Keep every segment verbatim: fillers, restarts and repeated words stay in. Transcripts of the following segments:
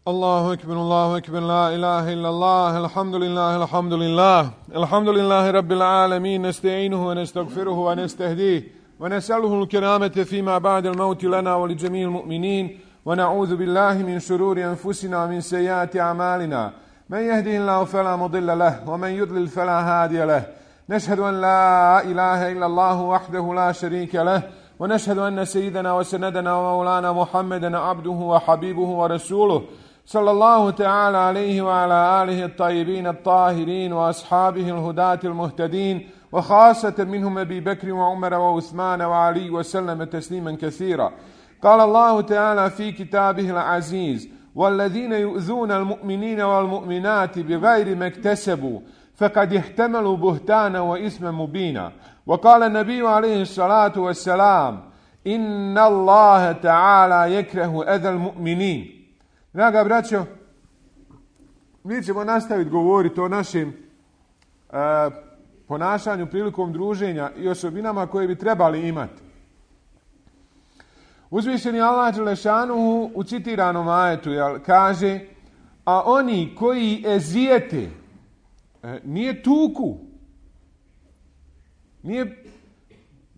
الله أكبر الله أكبر لا إله إلا الله الحمد لله الحمد لله الحمد لله رب العالمين نستعينه ونستغفره ونستهديه ونسأله الكرامة فيما بعد الموت لنا ولجميع المؤمنين ونعوذ بالله من شرور أنفسنا ومن سيئات أعمالنا من يهده الله فلا مضل له ومن يضلل فلا هادي له نشهد أن لا إله إلا الله وحده لا شريك له ونشهد أن سيدنا وسندنا ومولانا محمدا عبده وحبيبه ورسوله صلى الله تعالى عليه وعلى آله الطيبين الطاهرين وأصحابه الهداة المهتدين وخاصة منهم أبي بكر وعمر وعثمان وعلي وسلم تسليما كثيرا. قال الله تعالى في كتابه العزيز: والذين يؤذون المؤمنين والمؤمنات بغير ما اكتسبوا فقد احتملوا بهتانا وإثما مبينا. وقال النبي عليه الصلاة والسلام: إن الله تعالى يكره أذى المؤمنين. Draga braćo, mi ćemo nastaviti govoriti o našem e, ponašanju prilikom druženja i osobinama koje bi trebali imati. Uzvišeni Allah dželešanuhu u citiranom ajetu jel, kaže: a oni koji ezijete, e, nije tuku, nije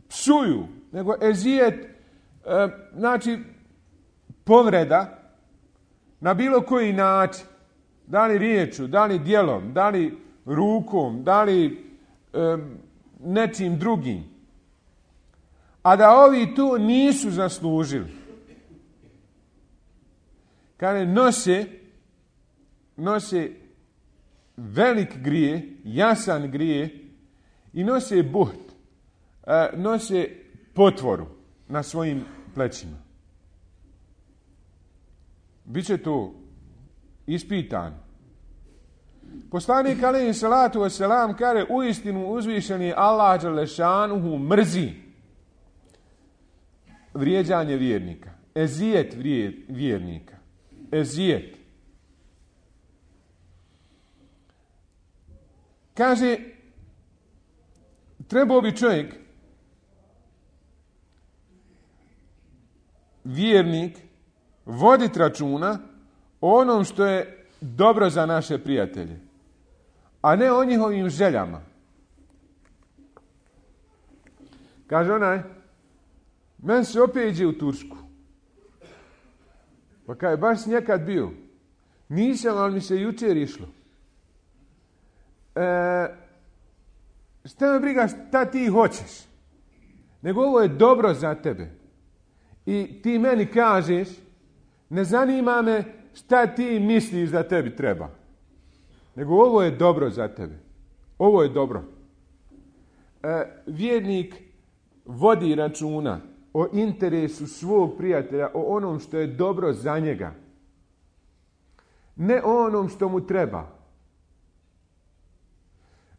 psuju, nego ezijet, e, znači povreda, na bilo koji način, da li riječu, da li djelom, da li rukom, da li e, nečim drugim, a da ovi to nisu zaslužili. Kada nose, nose velik grije, jasan grije i nose buht, e, nose potvoru na svojim plećima. Biće to ispitan. Poslanik alejhi salatu vesselam kaže: uistinu uzvišeni Allah dželešanuhu mrzi vrijeđanje vjernika, ezijet vjernika, ezijet. Kaže, trebao bi čovjek, vjernik, voditi računa o onom što je dobro za naše prijatelje, a ne o njihovim željama. Kaže onaj: men se opet iđe u Tursku. Pa kaže: baš si nekad bio. Nisam, ali mi se jučer išlo. E, šta me briga šta ti hoćeš? Nego ovo je dobro za tebe. I ti meni kažeš: ne zanima me šta ti misliš da tebi treba. Nego ovo je dobro za tebe. Ovo je dobro. E, vjernik vodi računa o interesu svog prijatelja, o onom što je dobro za njega. Ne o onom što mu treba.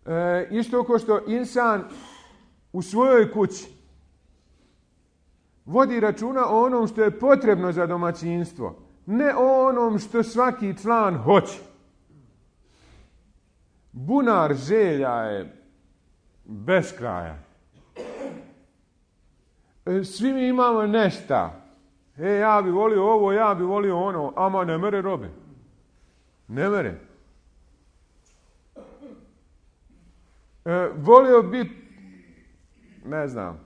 E, isto kao što insan u svojoj kući vodi računa o onom što je potrebno za domaćinstvo, ne o onom što svaki član hoće. Bunar želja je bez kraja. Svi mi imamo nešta. E, ja bi volio ovo, ja bi volio ono, ama ne mere robe. Ne mere. E, volio bi, ne znam,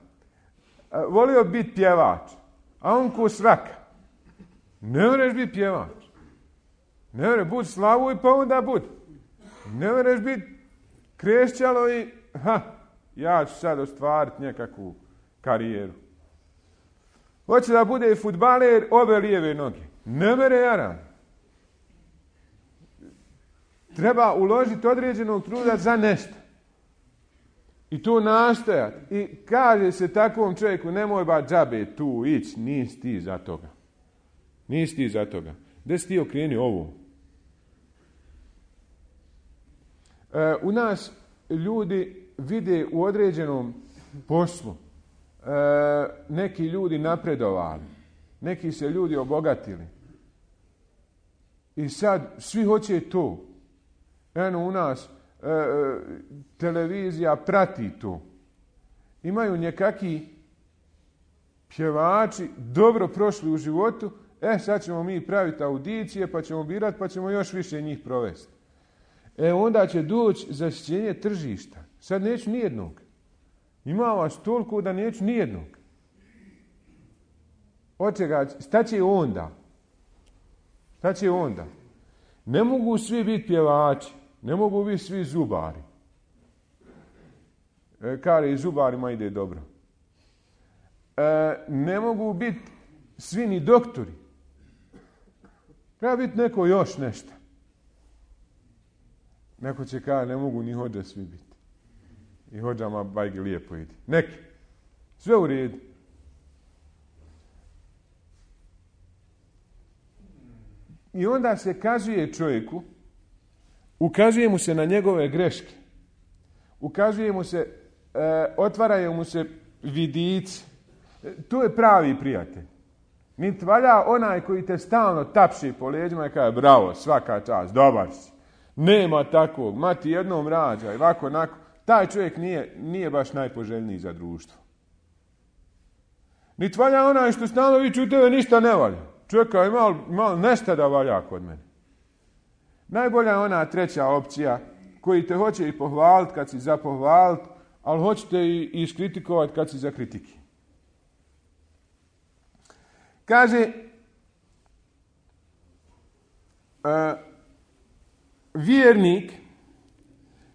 volio biti pjevač, a on ko svaka. Ne moreš biti pjevač. Ne moreš biti slavuj pa onda budi. Ne moreš biti krešćalo i ha, ja ću sad ostvariti nekakvu karijeru. Hoće da bude fudbaler obe lijeve noge. Ne mere jaran. Treba uložiti određenog truda za nešto. I to nastojati. I kaže se takvom čovjeku: nemoj ba džabe tu ići, nisi ti za toga. Nisi ti za toga. Gdje si ti okreni ovo? E, u nas ljudi vide u određenom poslu. E, neki ljudi napredovali. Neki se ljudi obogatili. I sad svi hoće to. Eno u nas e, televizija prati to. Imaju nekaki pjevači dobro prošli u životu E, sad ćemo mi praviti audicije, pa ćemo birati, pa ćemo još više njih provesti. E, onda će doći zasićenje tržišta. Sad neću nijednog. Ima vas toliko da neću nijednog. Od čega, šta će onda? Šta će onda? Ne mogu svi biti pjevači, ne mogu biti svi zubari. E, kare i zubarima ide dobro. E, ne mogu biti svi ni doktori. Treba biti neko još nešto. Neko će kada ne mogu ni hođa svi biti. I hođama bajge lijepo ide. Neki. Sve u redu. I onda se kazuje čovjeku, ukazuje mu se na njegove greške. Ukazuje mu se, e, otvaraju mu se vidici. E, to je pravi prijatelj. Niti valja onaj koji te stalno tapši po leđima i kaže bravo, svaka čast, dobar si. Nema takvog, mati jednom rađaj, ovako, onako. Taj čovjek nije, nije baš najpoželjniji za društvo. Niti valja onaj što stalno viče u tebe ništa ne valja. Čekaj, malo, malo nešto da valja kod mene. Najbolja je ona treća opcija koji te hoće i pohvaliti kad si za pohvaliti, ali hoćete i iskritikovati kad si za kritiki. Kaže, uh, vjernik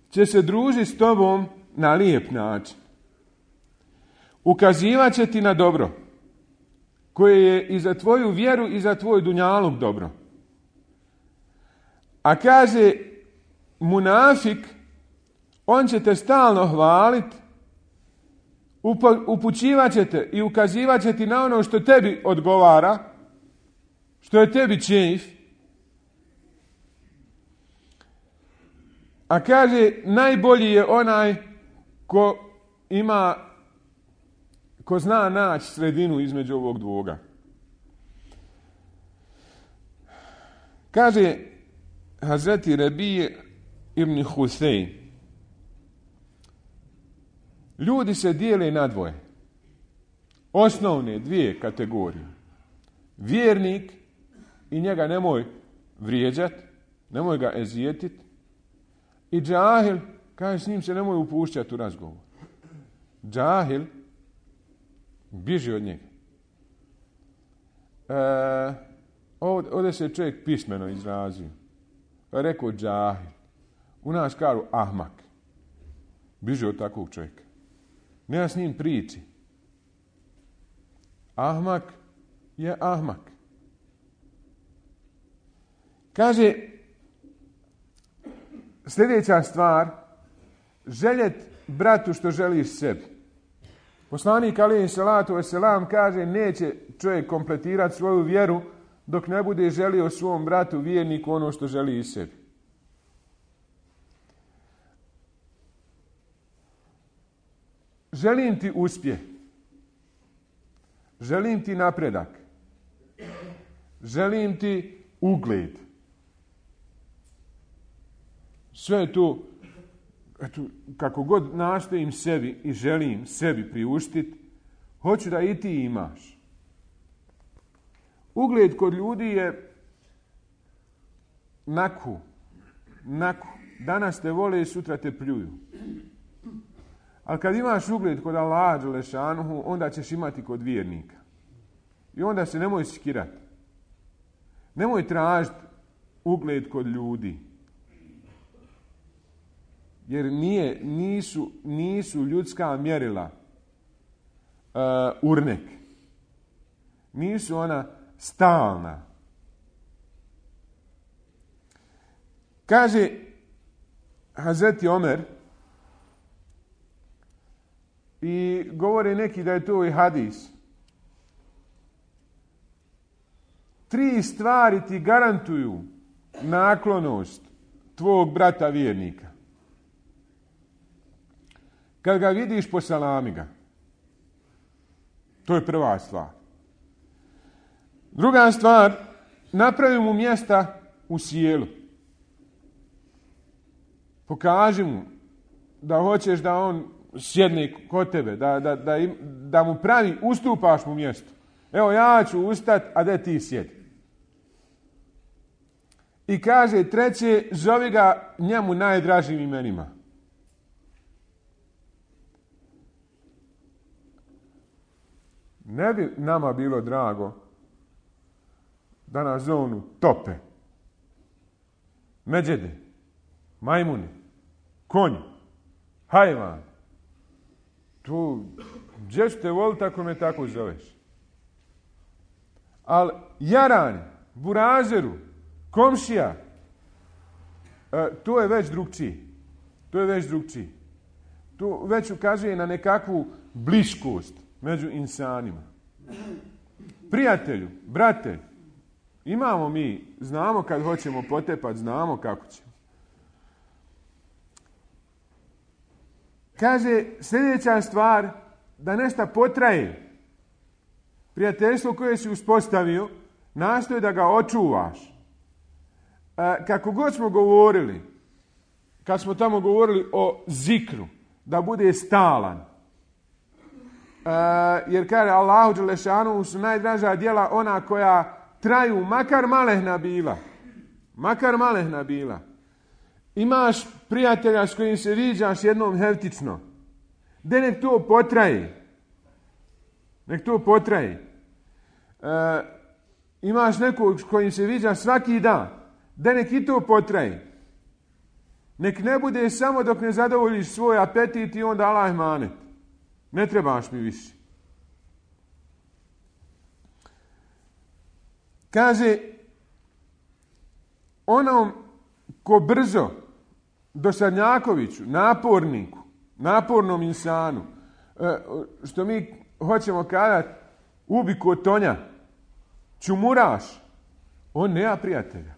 će se družiti s tobom na lijep način. Ukazivat će ti na dobro, koje je i za tvoju vjeru i za tvoj dunjaluk dobro. A kaže, munafik, on će te stalno hvaliti, upućivat će te i ukazivat će ti na ono što tebi odgovara, što je tebi čejf. A kaže, najbolji je onaj ko ima, ko zna naći sredinu između ovog dvoga. Kaže Hazreti Rebije ibn Husein, ljudi se dijele na dvoje. Osnovne dvije kategorije. Vjernik i njega nemoj vrijeđati, nemoj ga ezijetiti. I džahil, kaže, s njim se nemoj upuštati u razgovor. Džahil, biži od njega. E, ovdje, ovdje se čovjek pismeno izrazio. Rekao džahil. U nas kažu ahmak. Biži od takvog čovjeka. Nema s njim priči. Ahmak je ahmak. Kaže, sljedeća stvar, željet bratu što želiš sebi. Poslanik alejhi salatu vesselam kaže, neće čovjek kompletirati svoju vjeru dok ne bude želio svom bratu vjerniku ono što želi i sebi. Želim ti uspjeh. Želim ti napredak. Želim ti ugled. Sve to, eto, kako god nastojim sebi i želim sebi priuštiti, hoću da i ti imaš. Ugled kod ljudi je naku, naku. Danas te vole, sutra te pljuju. Ali kad imaš ugled kod Allaha dželešanuhu, onda ćeš imati kod vjernika. I onda se nemoj skirati. Nemoj tražiti ugled kod ljudi. Jer nije, nisu, nisu ljudska mjerila uh, urnek. Nisu ona stalna. Kaže Hazreti Omer, i govore neki da je to i hadis. Tri stvari ti garantuju naklonost tvog brata vjernika. Kad ga vidiš, posalami ga. To je prva stvar. Druga stvar, napravi mu mjesta u sjelu. Pokaži mu da hoćeš da on sjedne kod tebe, da, da, da, im, da mu pravi, ustupaš mu mjesto. Evo, ja ću ustati, a da ti sjedi. I kaže treće, zovi ga njemu najdražim imenima. Ne bi nama bilo drago da nas zovu tope, međede, majmuni, konji, hajvan. Tu, gdje ću te voliti ako me tako zoveš? Ali jaran, burazeru, komšija, e, to je već drugčiji. To je već drugčiji. To već ukazuje na nekakvu bliskost među insanima. Prijatelju, brate, imamo mi, znamo kad hoćemo potepati, znamo kako ćemo. Kaže, sljedeća stvar, da nešto potraje. Prijateljstvo koje si uspostavio, nastoji da ga očuvaš. E, kako god smo govorili, kad smo tamo govorili o zikru, da bude stalan. E, jer kaže Allahu dželešanu su najdraža djela ona koja traju, makar malehna bila. Makar malehna bila. Imaš prijatelja s kojim se viđaš jednom heftično. De nek to potraje. Nek to potraje. E, imaš nekog s kojim se viđaš svaki dan. De nek i to potraje. Nek ne bude samo dok ne zadovoljiš svoj apetit i onda Allah emanet. Ne trebaš mi više. Kaže, onom ko brzo, dosadnjakoviću, naporniku, napornom insanu, što mi hoćemo kazati, ubi kotonja, čumuraš, on nema prijatelja.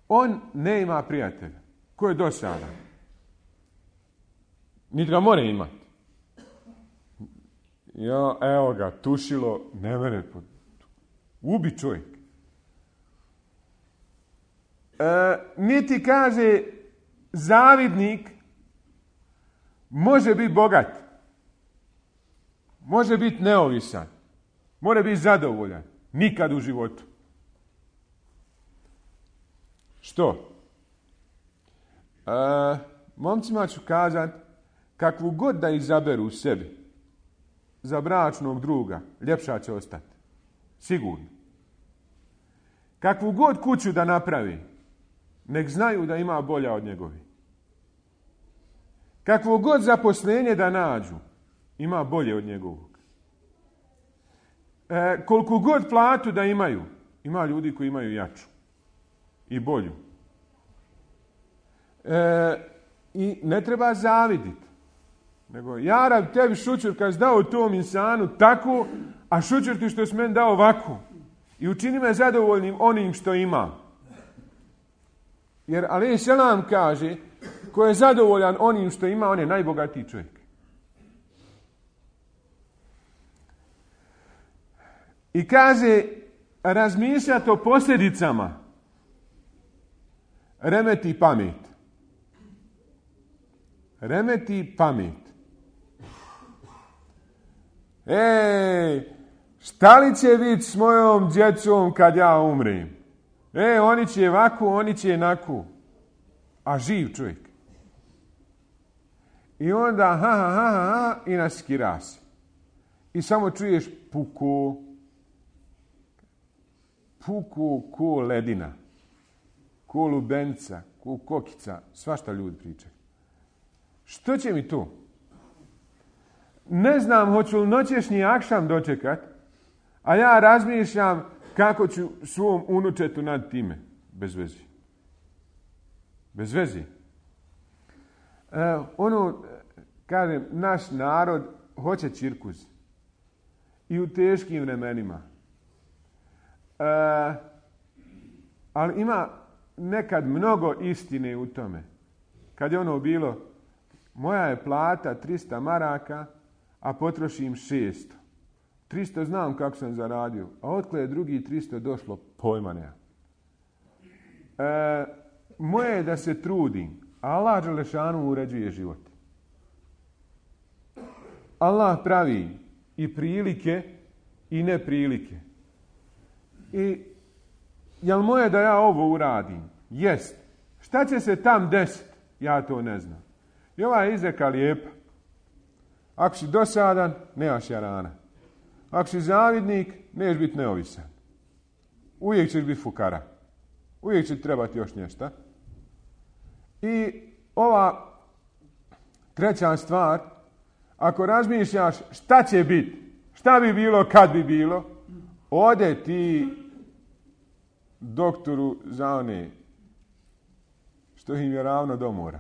On ne ima prijatelja. Ko je dosadan? Niti ga more imati. Ja, evo ga, tušilo, ne mene. Ubi čovjek. E, niti kaže zavidnik može biti bogat. Može biti neovisan. Može biti zadovoljan. Nikad u životu. Što? E, momcima ću kazati, kakvu god da izaberu u sebi za bračnog druga, ljepša će ostati. Sigurno. Kakvu god kuću da napravi, nek znaju da ima bolja od njegovi. Kakvo god zaposlenje da nađu, ima bolje od njegovog. E, koliko god platu da imaju, ima ljudi koji imaju jaču i bolju. E, I ne treba zaviditi. Nego, ja rab tebi šućur kad si dao tom insanu tako, a šućur ti što si meni dao ovako. I učini me zadovoljnim onim što ima. Jer alejhi selam kaže, ko je zadovoljan onim što ima, on je najbogatiji čovjek. I kaže, razmišljati o posljedicama remeti pamet. Remeti pamet. Ej, šta li će biti s mojom djecom kad ja umrem? E, oni će ovako, oni će onako. A živ čovjek. I onda ha, ha, ha, ha, i naskira se. I samo čuješ puku. Puku ko ledina. Ko lubenica, ko kokica. Svašta ljudi pričaju. Što će mi to? Ne znam hoću li noćešnji akšam dočekat, a ja razmišljam kako ću svom unučetu nad time. Bez vezi. Bez vezi. E, ono, kažem, naš narod hoće cirkus. I u teškim vremenima. E, ali ima nekad mnogo istine u tome. Kad je ono bilo, moja je plata tristo maraka, a potrošim šesto. tristo znam kako sam zaradio, a otkle je drugi tristo došlo, pojma nema. E, moje je da se trudim, a Allah dželešanu uređuje život. Allah pravi i prilike i neprilike. I jel moje da ja ovo uradim? Jest. Šta će se tam desiti? Ja to ne znam. I ova je izreka lijepa. Ako si dosadan, nemaš jarana. Ako si zavidnik, neš biti neovisan. Uvijek ćeš biti fukara. Uvijek će trebati još nešto. I ova treća stvar, ako razmišljaš šta će biti, šta bi bilo kad bi bilo, ode ti doktoru za one što im je ravno do mora.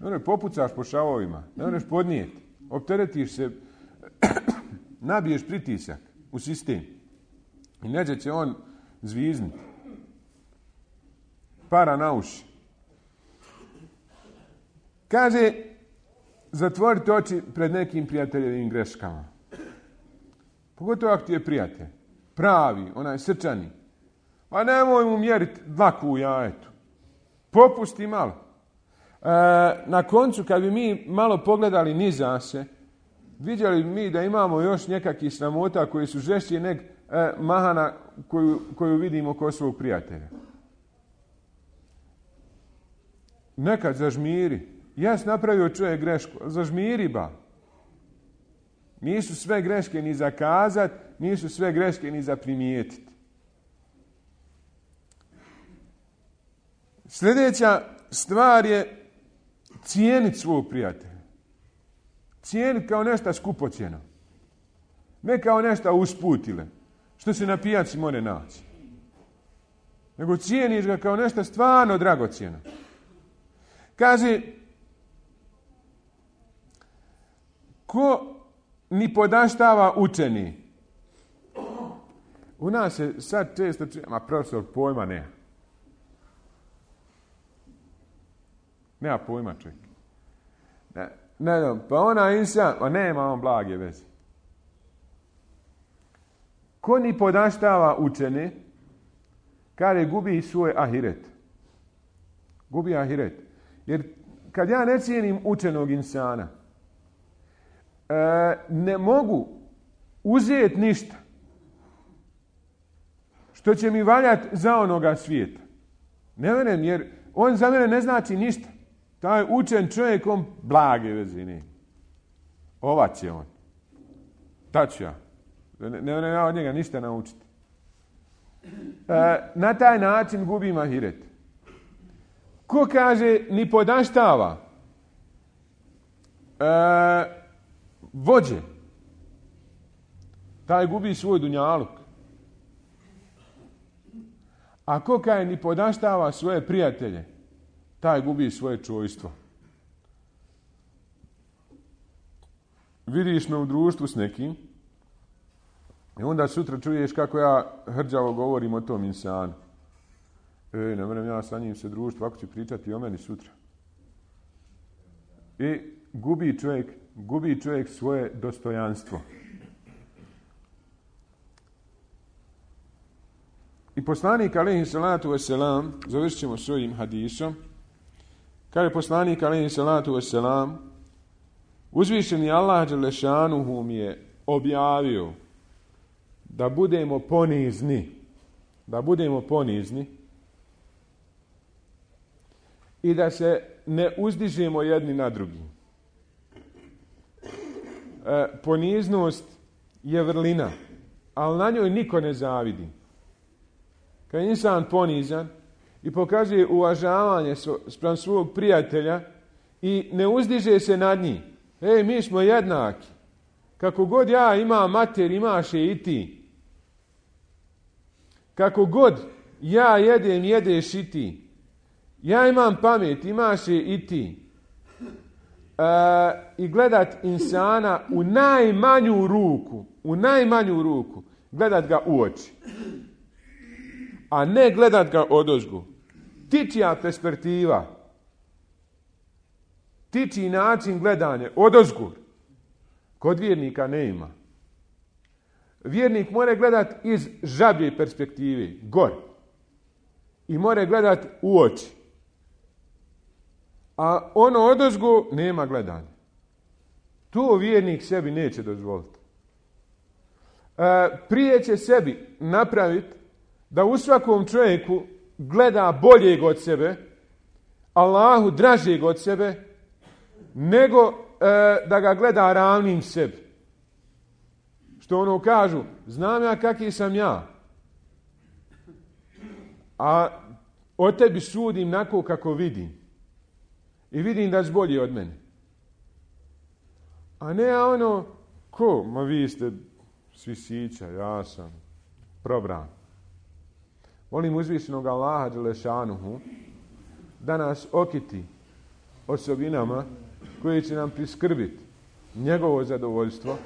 Ne one popucaš po šavovima, ne oneš podnijeti, opteretiš se, nabiješ pritisak u sistem i neđe će on zviznuti. Para na uši. Kaže, zatvorite oči pred nekim prijateljevim greškama. Pogotovo ako ti je prijatelj. Pravi, onaj srčani. Pa nemoj mu mjeriti dlaku u jajetu. Popusti malo. E, na koncu, kad bi mi malo pogledali niza se, vidjeli bi mi da imamo još nekakvih sramota koji su žešći nek e, mahana koju, koju vidimo kod svog prijatelja. Nekad zažmiri. Jes napravio čovjek grešku, zažmiri ba. Nisu sve greške ni za kazat, nisu sve greške ni za primijetiti. Sljedeća stvar je cijeniti svog prijatelja. Cijeniti kao nešto skupocjeno. Ne kao nešto usputile, što se na pijaci more naći. Nego cijeniš ga kao nešto stvarno dragocjeno. Kaže, ko ni podaštava učeni. U nas se sad često čuje, ma profesor pojma nema. Nema pojma čovjek. Ne, ne znam, pa ona insan, pa nema on blage veze. Ko ni podaštava učeni, kada gubi svoj ahiret. Gubi ahiret. Jer kad ja ne cijenim učenog insana, e, ne mogu uzeti ništa što će mi valjati za onoga svijeta. Ne venem, jer on za mene ne znači ništa. Taj učen čovjek, on blage veze ne. Ova će on. Ta ću ja. Ne venem ja od njega ništa naučiti. E, na taj način gubim ahiret. Ko kaže ni podaštava e, vođe, taj gubi svoj dunjaluk. A ko kaže ni podaštava svoje prijatelje, taj gubi svoje čojstvo. Vidiš me u društvu s nekim i onda sutra čuješ kako ja hrđavo govorim o tom insanu. E, ne moram ja sa njim se družiti, ovako će pričati o meni sutra. I gubi čovjek, gubi čovjek svoje dostojanstvo. I poslanik alejhi salatu vesselam, završit ćemo s ovim hadisom, kaže poslanik alejhi salatu vesselam, uzvišeni Allah dželešanuhu mi je objavio da budemo ponizni, da budemo ponizni i da se ne uzdižemo jedni na drugi. E, poniznost je vrlina, ali na njoj niko ne zavidi. Kad je insan ponizan i pokazuje uvažavanje spram svog prijatelja i ne uzdiže se nad njih. Ej, mi smo jednaki. Kako god ja imam mater, imaš je i ti. Kako god ja jedem, jedeš i ti. Ja imam pamet, imaš je i ti. E, I gledat insana u najmanju ruku, u najmanju ruku, gledat ga u oči. A ne gledat ga odozgo. Tičija perspektiva, tičiji način gledanja odozgo, kod vjernika ne ima. Vjernik mora gledat iz žablje perspektive, gor. I mora gledat u oči. A ono odozgo nema gledanja. To vjernik sebi neće dozvoliti. E, prije će sebi napraviti da u svakom čovjeku gleda boljeg od sebe, Allahu dražeg od sebe, nego e, da ga gleda ravnim sebi. Što ono kažu, znam ja kakvi sam ja, a o tebi sudim nako kako vidim. I vidim da si bolji od mene. A ne ono, ko? Ma vi ste svi sića, ja sam probran. Molim uzvišenog Allaha dželešanuhu da nas okiti osobinama koje će nam priskrbiti njegovo zadovoljstvo,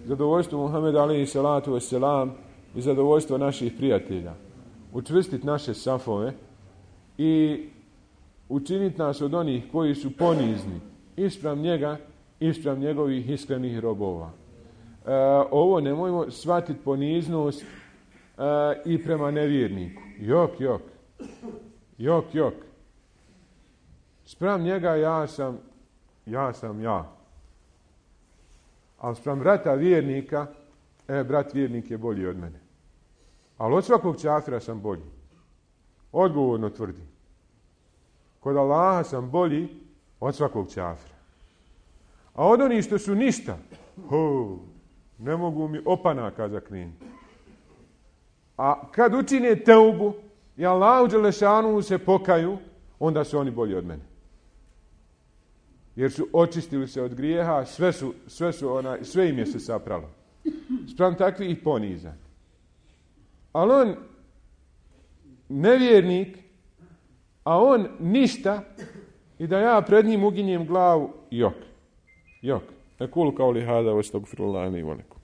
zadovoljstvo Muhameda alejhi salatu vesselam i zadovoljstvo naših prijatelja. Učvrstiti naše safove i učiniti nas od onih koji su ponizni ispram njega, ispram njegovih iskrenih robova. E, ovo nemojmo shvatiti poniznost e, i prema nevjerniku. Jok, jok. Jok, jok. Spram njega ja sam, ja sam ja. Ali spram brata vjernika, e, brat vjernik je bolji od mene. Ali od svakog čafira sam bolji. Odgovorno tvrdim. Kod Allaha sam bolji od svakog čafira. A od onih što su ništa, ho, ne mogu mi opanaka zakrenuti. A kad učine teubu i Allahu dželešanu se pokaju, onda su oni bolji od mene. Jer su očistili se od grijeha, sve, su, sve, su ona, sve im je se sapralo. Spram takvih ponizan. Ali on nevjernik, a on ništa, i da ja pred njim uginjem glavu, jok, jok. Ekul kao li hada, ostagfirullahi li velikum.